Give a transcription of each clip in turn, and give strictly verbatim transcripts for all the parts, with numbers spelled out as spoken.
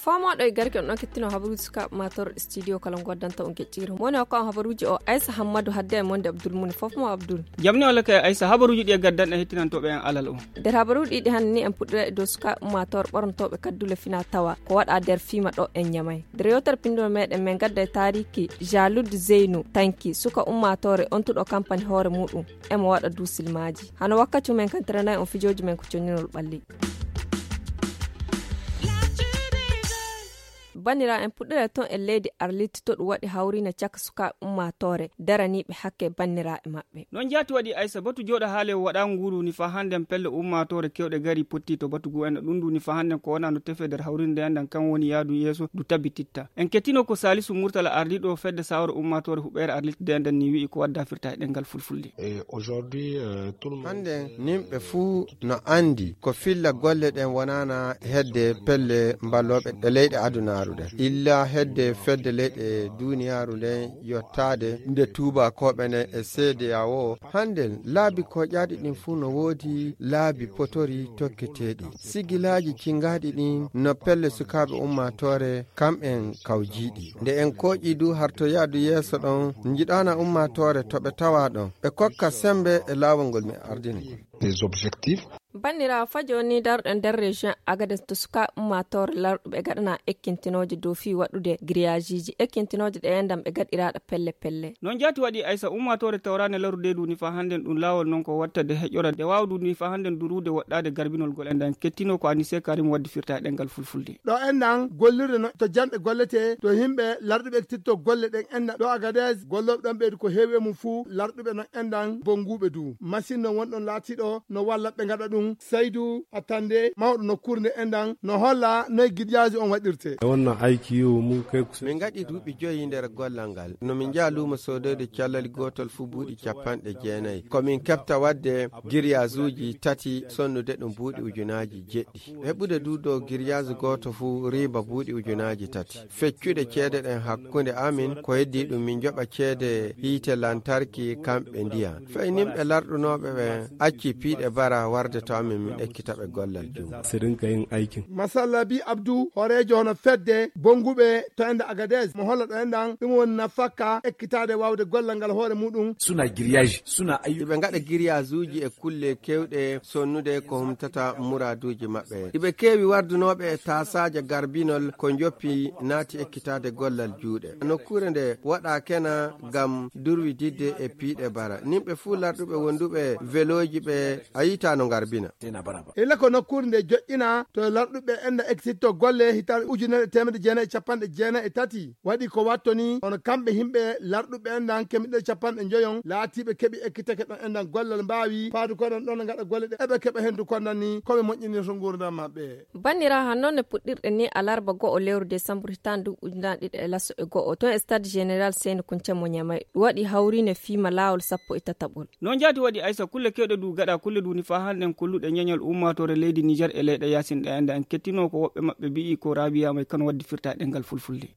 Faamooɗo e garke on ɗon kettino habaruuji sukaaɓe matorɗe studio kala ngoddanta on geƴƴiire. Mo woni hokka on habaruuji o Aysa Hammadu, hadde e monde Abdul Muni. Fof mo Abdul. Jam ni walla kay Aysa, habaruuji ɗi e gaddanɗe hettinontooɓe en alal o. Nder habaruuji ɗiɗi hannde ni, en puɗɗira e dow sukaaɓe ummaatoore ɓornotooɓe kaddule fina tawa ko waɗa nder fiima ɗo en Ñamay. Nder yewtere pinndol meɗen, men gadda e taariki Jalud Zeynu Tanki, suka ummaatoore ontuɗo kampani hoore muɗum, emo waɗa duusilmaaji. Hano wakkati men kantiranay on fijooji men ko conninol ɓalli. Bannira en puɗɗira ton e leydi Arlit, to ɗum waɗi hawriine caka sukaaɓe ummaatoore daraniiɓe hakke banniraaɓe maɓɓe. Non jaati waɗi Aysa, batu jooɗa haale o waɗa nguuru ni fa hannden pelle ummaatoore kewɗe gari potti to batu gu en ɗum ndu ni fa hannden ko wona no tefe nder hawriinde en ɗan kan woni yaadu yeeso ndu tabititta. En kettino ko Salisu Murtala ardiiɗo fedde sawro ummaatoore huɓeere Arlit de nden ni wi'i ko wadda firta e ɗengal fulfulde. Hannden nimɓe fuu no anndi ko filla golle ɗen wonana hedde pelle mballooɓe ɗe leyɗe adunaaru ɗen, illa hedde fedde leyɗe duuniyaaru nden yottaade nde tuubakooɓe nden e C D A O. Hannden laabi koƴaaɗi ɗin fuu no woodi laabi potori tokketeeɗi. Sigilaaji cingaaɗi ɗin no pelle sukaaɓe ummaatoore kam'en kawjiiɗi. Nde en koƴi du harto yaadu yeeso ɗon, njiɗana ummaatoore to ɓe tawa ɗon. Ɓe kokka sembe e laawol ngol mi ardini ngol. Banniraawo, fa jooni darɗo nder région Agadez to suka ummaatoore larɗuɓe gaɗana ekkintinooje dow fii waɗude grillage-ji, ekkintinooje ɗe enɗan ɓe gaɗiraaɗe pelle pelle. Non jaati waɗi Aysa, ummaatoore tawraane larude du ni fa hannden ɗum laawol non ko watta de heƴora de waawdu ni fa hannden durude woɗɗaade garbinol gol enɗan kettino ko Anise Karim waddi firta e ɗengal fulfulde. Ɗo enɗan gollirde no to janɗe gollete to himɓe larɗuɓe ekkitinto golle ɗen enɗan ɗo Agadez gollooɓe ɗon ɓeydu ko heewi e mum fuu larɗuɓe non enɗan bonnguuɓe du. Machine non wonɗon laatiiɗo no walla ɓe ngaɗa ɗum. Saydu Attande, mawɗo nokkuure nde enɗan, no holla noy girjaaji on waɗirte. E wonna aiki yo mum kay ko min ngaɗi duuɓi joyi nder gollal ngal. No min njaha luumo soodoyde callali gootol fuu buuɗi capanɗe jeenayi. Ko min keɓta waɗde giriyaajuuji tati sonnude ɗum buuɗi ujunaaji jeɗɗi. Heɓude du dow giriyaaji gooto fuu riiba buuɗi ujunaaji tati. Feccude ceede ɗen hakkunde amin, ko heddii ɗum min njoɓa ceede hiite lantarki kamɓe ndiyam. Fay nimɓe larɗunooɓe ɓen acci piiɗe bara warde to amin min ekkita ɓe gollal junngo. Masalla bi Abdu, hooreejo hono fedde bonnguɓe to enda Agadez, mo holla ɗo enɗan, ɗum woni nafakka ekkitaade waawde gollal ngal hoore muɗum. Suna giriyaaji, suna ayyu. Iɓe ngaɗa giriyaajuuji e kulle kewɗe sonnude ko humtata muraaduuji maɓɓe. Iɓe keewi wardunooɓe e taasaaje garbinol ko njoppi naati ekkitaade gollal juuɗe. Nokkuure nde waɗa kena ngam durwididde e piiɗe bara. Nimɓe fuu larɗuɓe wonduɓe velooji ɓe a yiita no ngarbina. Ila ko nokkuure nde joƴƴina to larɗuɓe enda ekkititto golle hitaande ujunere e teemedde jeenayi e capanɗe jeenayi e tati. Waɗi ko watto ni, hono kamɓe himɓe larɗuɓe enɗan kemiɗe capanɗe njoyon laatiiɓe keɓi ekkitake ɗon enɗan gollal mbaawi faadu koɗon ɗon ngaɗa golle ɗe eɓe keɓa hendu kondan ni ko ɓe moƴƴinirta nguurndam maɓɓe. Banniraawo, han noon ne puɗɗirɗe ni alarba go'o lewru desambur hitaande ndu ujunaaji ɗiɗi e laso e go'o toon e stade général Seyni Kunce mo Ñamay. Ɗum waɗi hawriine fiima laawol sappo e tataɓol. Noon jaati waɗi Aysa kulle kewɗe du gaɗa kulle du ni faa hannden kolluɗe ñeñal ummaatoore leydi Niger e leyɗe yaasin ɗe enɗan en kettino ko woɓɓe maɓɓe mbi'i ko Raabiya May kan waddi firta e ɗemngal fulfulde.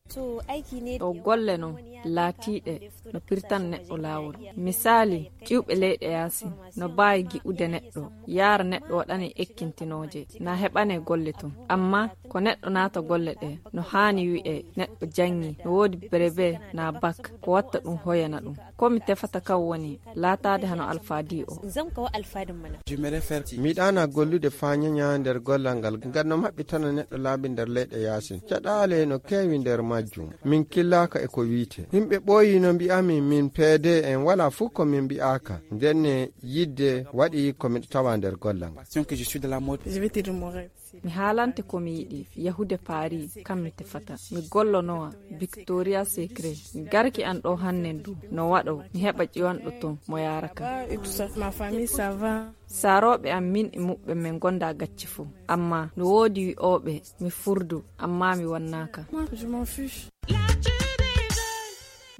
Ɗo golle non laatiiɗe no pirtan neɗɗo laawol. Misaali, ƴiwɓe leyɗe yaasin no mbaawi gi'ude neɗɗo, yaara neɗɗo waɗane ekkintinooje, na heɓane golle ton. Amma ko neɗɗo naata golle ɗe, no haani wi'e neɗɗo janngi, no woodi brevet na bac, ko watta ɗum hoyana ɗum. Ko mi tefata kan woni laataade hano alfaadi o. Mi ɗaana gollude faa ñeña nder gollal ngal, ngam no maɓɓitana neɗɗo laabi nder leyɗe yaasin. Caɗaale no keewi nder majjum. Min killaaka e ko wiite. Yimɓe ɓooyi no mbi'ami min peede en walaa fuu ko min mbi'aaka. Ndenne yidde waɗi ko miɗo tawa nder gollal ngal. Mi haalante ko mi yiɗi, yahude Paris, kam mi tefata. Mi gollonowa Victoria Secret. Garki an ɗo hannen du, no waɗo, mi heɓa ƴiwanɗo ton, mo yaara kam. Saarooɓe am min e muɓɓen min gonda gacce fuu. Amma no woodi wi'ooɓe mi furdu, amma mi wannaaka.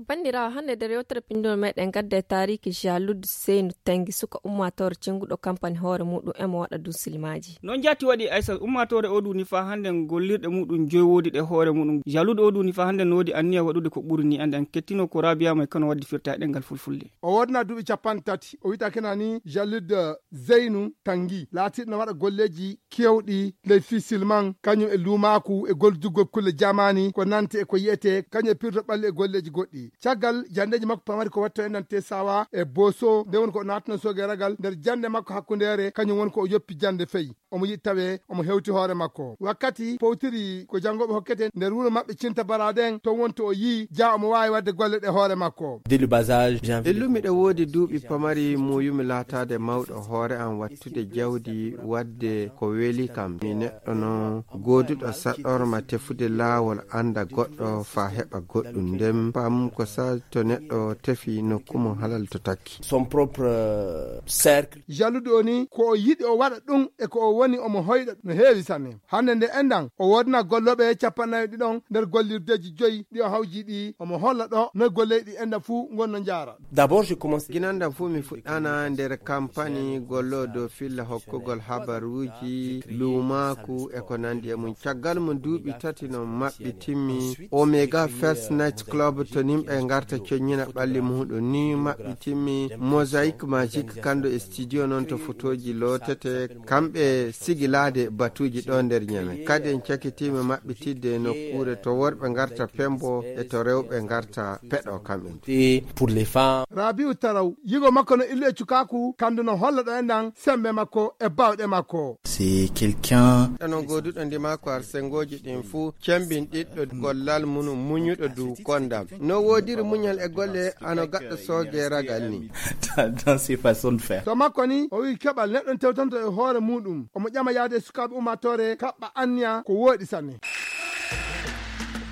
Banndiraawo, hannde nder yewtere pinndol meɗen ngadda e taariiki Jalud Seynu Tangi, suka ummaatoore cenguɗo kampani hoore muɗum e mo waɗa dun silmaaji. Noon jaati waɗi Aysat, ummaatoore o duuni faa hannde gollirɗe muɗum joy woodi ɗe hoore muɗum. Jalud o duuni faa hannde no woodi anniya waɗude ko ɓuri ni. Annde en kettino ko Rabia May Kano waddi firta e ɗemngal fulfulde. O woodna duuɓi capanɗe tati. O wiyta kena ni Jalud Zeynu Tangi, laatirɗo no waɗa golleeji keewɗi ley fii silman, kañum e luumaaku e gollidugol kulle jamaani ko nanti e ko yi'etee, kañum e pirdo ɓalli e golleeji goɗɗi. Caggal janndeeji makko pamari ko waɗto e nante sawa e Boso, nde woni ko o naatno soogeragal nder jannde makko hakkundeere, kañum woni ko o yoppi jannde fey. Omo yiɗi tawee omo hewti hoore makko. Wakkati powtiri ko janngooɓe hokkete nder wuro maɓɓe Cinta Baraden, to wonto o yii jaa omo waawi waɗde golle ɗe hoore makko. Dès le bas âge, j'ai envie de... Illu miɗo woodi duuɓi pamari, muuyumi laataade mawɗo hoore am, wattude jawdi, waɗde ko weli kam. Mi neɗɗo noon gooduɗo saɗɗorma tefude laawol, annda goɗɗo faa heɓa goɗɗum. Nden pam ko sa to neɗɗo tefi nokku mum halal to takki. Son propre, euh, cercle. Jaluɗo o ni ko o yiɗi o waɗa ɗum e ko o woni omo hoyɗa no heewi sanne. Hannde nde enɗan o woodna gollooɓe capanɗe nayo ɗiɗon nder gollirdeeji joyi ɗi o hawji ɗi, omo holla ɗo no golleeji ɗi enɗan fuu ngonno njaara. D'abord, je commence. Ginanɗan fuu mi fuɗɗana nder kampani golloodo filla hokkugol habaruuji, luumaaku e ko nanndi e mum. Caggal mum duuɓi tati no maɓɓitimmi Omega First Night Club to nimɓe ngarta coññina ɓalli muɗum ni maɓɓitimmi Mosaic Magic kanndo e studio noon to fotooji lootete, kamɓe sigilaade batuuji ɗo nder Ñame. Kadi en cakitiima maɓɓitidde nokkuure to worɓe ngarta pembo e to rewɓe ngarta peɗo kamɓe. Pour les femmes. Rabiu Taraw, yigo makko no illu e cukaaku, kandu no holla ɗo enɗan sembe makko e bawɗe makko. C'est quelqu'un. Ɗano gooduɗo ndima ko ar sengooji ɗin fuu, cembinɗiɗɗo gollal mum, muñuɗo du kondam. No woodiri muñal e golle, ano gaɗɗo sooge ragal ni. Dans, dans ses façons de faire. To makko ni, o wi keɓal neɗɗo tewtanto e hoore muɗum. Omo ƴama yaade e sukaaɓe ummaatoore, kaɓɓa anniya ko wooɗi sanne.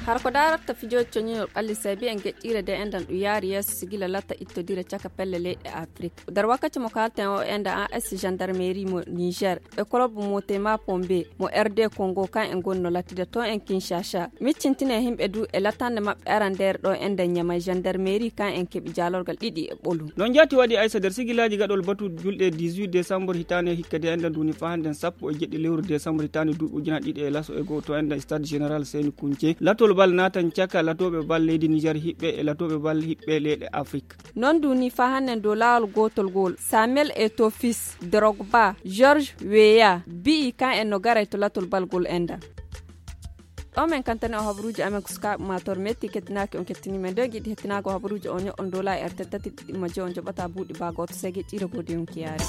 Har ko daaratta fijooji coñinol ɓalli, sabi en geƴƴiire de enɗan ɗum yaari yeeso si gila latta ittodire caka pelle leyɗe Afrik. Nder wakkati mo kaalten o, enɗan A S gendarmerie mo Niger e club mo Tema Pombe mo R D Congo, kan en gonno lattude to en Kinshasa. Miccintine himɓe du e lattande maɓɓe arandeere ɗo enɗan Ñamay gendarmerie, kan en keɓi jaalorgal ɗiɗi e ɓolu. Noon jaati waɗi Aysa nder sigilaaji gaɗol batu julɗe dix-huit décembre hitaande hikka de enɗan duuni faa hannden sappo e jeɗɗi lewru décembre hitaande duuɓi ujunaaji ɗiɗi e laso e go'o to enɗan stade général Seyni Kunce. Latol bal naatan caka latooɓe bal leydi Niger hiɓɓe e latooɓe bal hiɓɓe leyɗe Afrik. Noon duuni faa hannden dow laawol gootol ngol, Samuel Eto'o Fils, Drogba, George Weah, bi'i kan en no garay to latol bal ngol enɗan. Ɗo men kantani o habaruuji amen ko sukaaɓe ummaatoore metti kettinaaki on kettini men. Nden giɗi hettinago habaruuji o ño'on dola e R T T tati ɗiɗi majje on joɓata buuɗi baa gooto sege ƴiira goo de yonki yaari.